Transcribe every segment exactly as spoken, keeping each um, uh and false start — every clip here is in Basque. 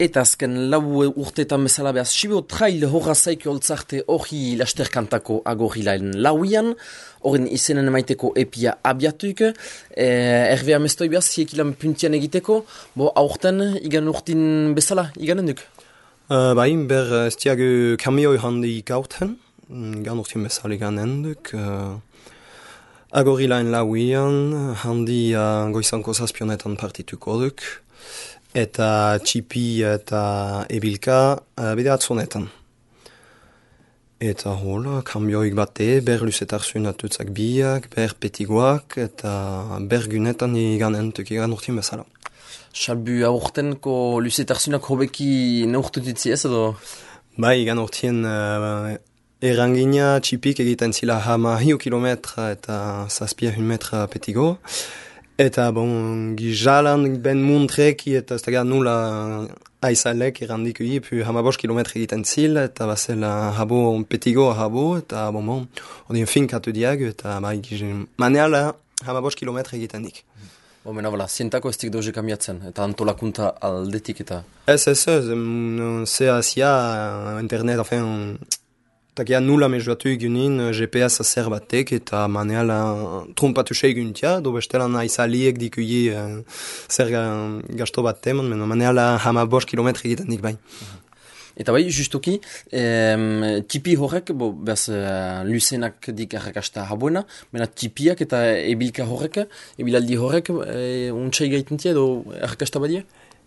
Eta azken lau urteetan bezala behaz, Sibiu trail horra zaiko holtzarte hori lasterkantako agorilaen lauian, horren izenen emaiteko epia abiatuik, e, erbe amestoi behaz, ziekilan puntian egiteko, bo aurten igan urtin bezala, iganen duk? Uh, bai, ber ez diagu kamioi handi gauten, igan urtin bezala iganen duk, uh, agorilaen lauian, handi uh, goizanko zazpionetan partituko duk, eta txipi eta ebilka uh, bide atzonetan. Eta hola, kambioik bate, ber luzetarsun atutzak biak, ber petigoak, eta ber gunetan iganentuk igan urtin bezala. Salbu aurtenko luzetarsunak hobeki neurtutitzi ez edo? Bai, igan urtien uh, erangina txipik egiten zila hama hiu kilometra eta zazpia hun metra petigo. Eta bon, gizalan ben muntreki eta ez da nula aizalek errandik ui, pu hamabos kilometre egiten zil, eta bazela habo petigo habo, eta bon, bon, odien finkatu diagu, eta bai, maneala hamabos kilometre egiten dik. Bo, mena, bala, zientako ez dik doze kamiatzen, eta antolakunta aldetik eta... Ez, ez, ez, ze azia, internet, enfin... Takia nula mezuatu egunin G P S zer batek eta maneala trompatu seguntia, do bestelan aizaliek dikuie uh, zer gasto bat teman, mena maneala hama bost kilometre egiten dik bai. Eta bai, justuki, em, tipi horrek, bo, behaz, uh, luzenak dik errakasta habuena, mena tipiak eta ebilka horrek, ebilaldi horrek, e, untxai gaitentia edo errakasta badia?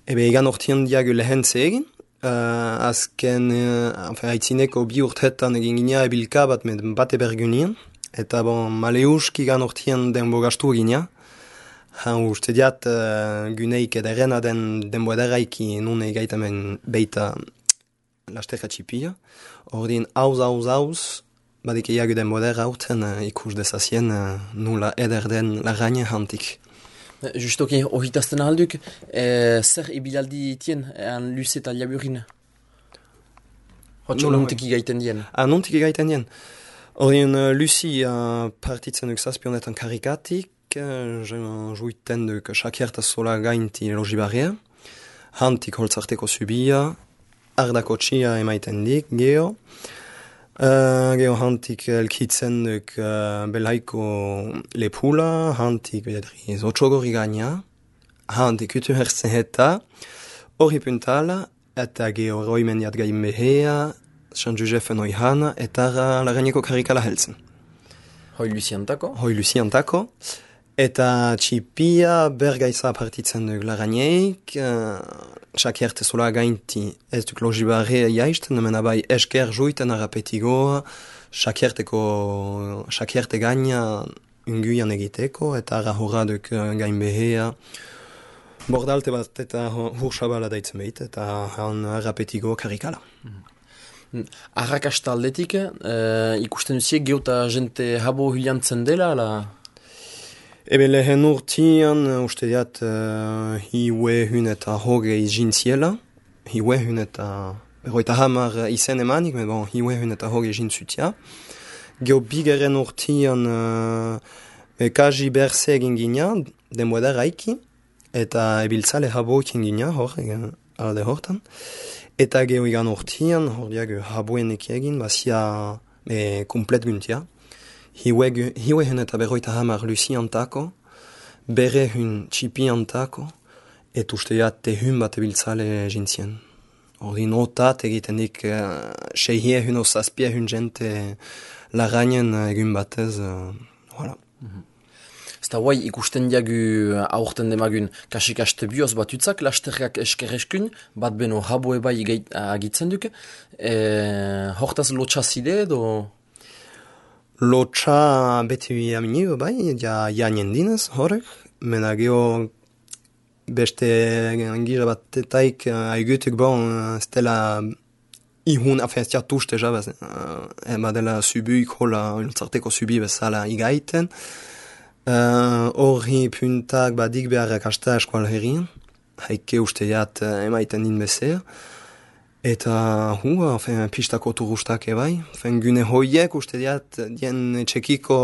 Ebe egan ortien diagu lehen zegin, Uh, azken, uh, enfin, haitzineko bi urtetan egin gina ebilka bat med bate bergunien, eta bon, maleuski gan ortien denbo gastu gina. Han uste diat uh, guneik ederen den denbo ederaiki nun egaitamen beita lasterka txipia. Ordin hauz, hauz, hauz, badik eagu denbo edera hauten uh, ikus dezazien uh, nula eder den lagaine hantik. Justoki, ohitazten ahalduk, e, zer ibilaldi tien, ean luze eta liaburin? Hotxo nontik igaiten dien? Ah, nontik igaiten dien. Horien, uh, luzi uh, partitzen duk zazpionetan karikatik, uh, juiten duk sakierta sola gainti logibarria, hantik holtzarteko subia, ardako txia emaiten dik, geho, Uh, geho hantik elkitzen duk uh, belaiko lepula, hantik bedri zotxogori gaina, hantik utu herzen eta hori puntala, eta geho roimendiat gain behea, San Josefen oihana, eta lagaineko karikala helzen. Hoi luziantako? Hoi luziantako. Eta txipia bergaiza partitzen duk lagaineik, uh, sakierte sola gainti ez duk logibarrea jaisten, mena bai esker juiten arapetigoa, sakierteko, sakierte gaina unguian egiteko, eta ara horra duk gain behea. Bordalte bat eta hursabala daitzen behit, eta han arapetigo karikala. Mm. Arrakasta aldetik, uh, ikusten duziek geota jente habo hiliantzen dela, ala... Ebe lehen urtian, uste diat, uh, hiue hun eta hogei jintziela. Hiue hun eta... Berroita hamar izen emanik, men bon, hiue hun eta hogei jintzutia. Geo bigeren urtian, uh, kaji berse egin gina, denboa da raiki, eta ebiltzale habo ikin gina, hor, alde hortan. Eta geo igan urtian, hor diag haboen ekiegin, bazia e, komplet guntia. Hiue hun eta berroita hamar luzi antako, bere hun txipi antako, et uste te hun bat ebiltzale jintzien. Ordi notat egiten dik uh, seihie hun o zazpia hun jente larainen egun batez, uh, voilà. Mm-hmm. Zta guai ikusten diagu aurten demagun kasik-aste bioz batutzak, lasterrak eskerreskun, bat beno habo eba agitzen duke, e, hortaz lotxazide edo... Lotxa beti amini, bai, ja janien dinez, horrek, mena geho beste gira bat etaik aigutuk bon, stela ihun, afen stia tuste jabaz, ema dela subuik hola, iltzarteko subi bezala igaiten, horri uh, puntak badik beharrak hasta eskual herrien, haike uste jat emaiten din bezer, eta hu, enfin, pistako turustak ebai, enfin, gune hoiek uste diat dien txekiko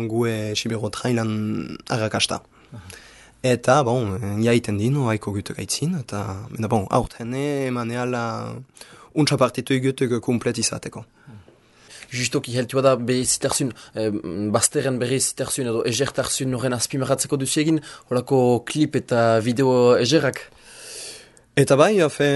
gue Sibero trailan arrakasta. Uh-huh. Eta, bon, jaiten dino, haiko gutuk aitzin, eta, mena, bon, haut, hene, maneala, untsa partitu igutuk komplet izateko. Justoki heltua da be ziterzun, eh, bazteren berri ziterzun edo egertarzun horren azpimarratzeko duzu egin, holako klip eta video egerak? Eta bai, hafe,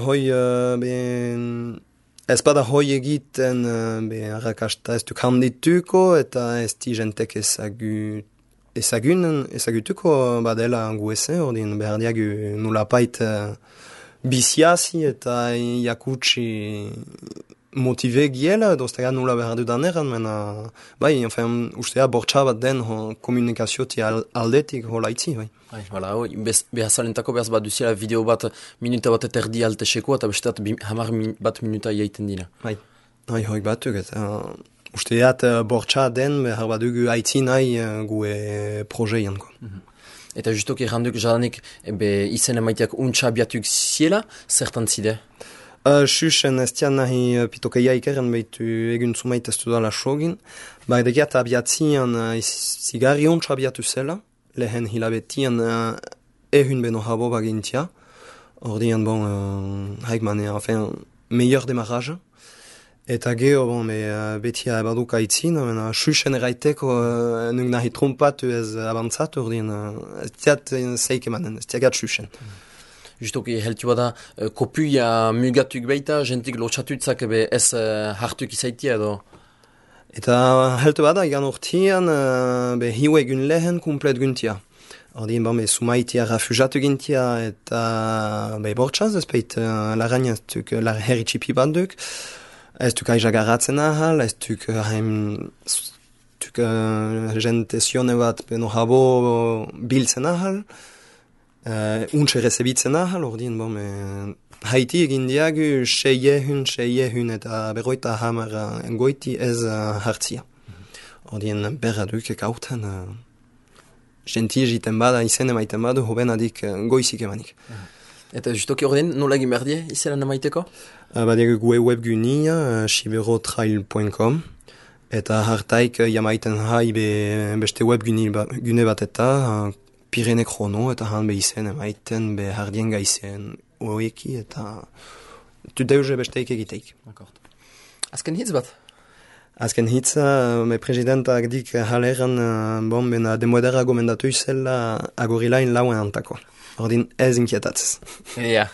hoi, uh, ben, ez bada hoi egiten, uh, be, arrakasta ez duk handituko, eta ez di jentek ezagut, ezagun, ezagutuko badela guese, ordin behar diagu nulapait uh, biziazi eta jakutsi motive giela, doztega nula behar dudaneran, mena, bai, enfin, ustea bortxa bat den ho, komunikazioti al, aldetik hola itzi, bai. Bai, hala, hoi, behazalentako behaz bat duziela video bat minuta bat eterdi alteseko, eta besteat hamar min, bat minuta jaiten dira. Bai, bai, hoi batuk, eta uh, usteat uh, bortxa den behar bat dugu aitzi nahi uh, gue prozeian, ko. Mm-hmm. Eta justoki erranduk jadanik, ebe izen emaiteak untxa abiatuk ziela, zertan zide? Uh, Xuxen ez tian nahi uh, pitokeia ikeren behitu egun zumait ez dudala sogin. Ba edegiat abiatzian uh, zigarri ontsa abiatu zela, lehen hilabetian uh, ehun beno habo bagintia. Ordian, bon, uh, haik mane, enfin, meilleur demarrage. Eta geho, bon, me, uh, betia ebaduka itzin, mena, Xuxen eraiteko uh, nuk nahi trompatu ez avantzat, ordian, uh, ez tiat zeike manen, ez tiagat Xuxen. Mm. Justoki heltu bada, uh, kopuia mugatuk baita, jentik lotxatutzak ebe ez uh, hartuk izaitia edo? Eta heltu bada, igan urtian, uh, be hiue gun lehen kumplet guntia. Ordin, bon, be sumaitia rafujatu gintia, eta be bortxaz, ez peit, uh, larain ez duk, la heritxipi bat duk, ez duk aiza garatzen ahal, ez duk haim, duk uh, jente zione bat beno habo biltzen ahal, Uh, untxe rezebitzen ahal, ordin, bon, me, haiti egin diagu seiehun, seiehun eta berroita hamara engoiti ez uh, hartzia. Mm-hmm. Ordin, berra duk ekauten, uh, genti egiten bada, izen emaiten badu, hoben adik uh, goizik emanik. Mm-hmm. Eta justoki ordin, nola egin behar die, izenan emaiteko? Uh, Badiagu gue webgunia, uh, siberotrail punto com, eta hartaik uh, jamaiten hai be, beste webgune ba, bat eta, uh, Pirene Krono, eta han behizen emaiten, be hardien gaizen oeki, eta tu deuze besteik egiteik. Akort. Azken hitz bat? Azken hitza, me presidentak dik haleran, bon, bena demoedera gomendatu izela agorilain lauen antako. Ordin ez inkietatzez. Ja.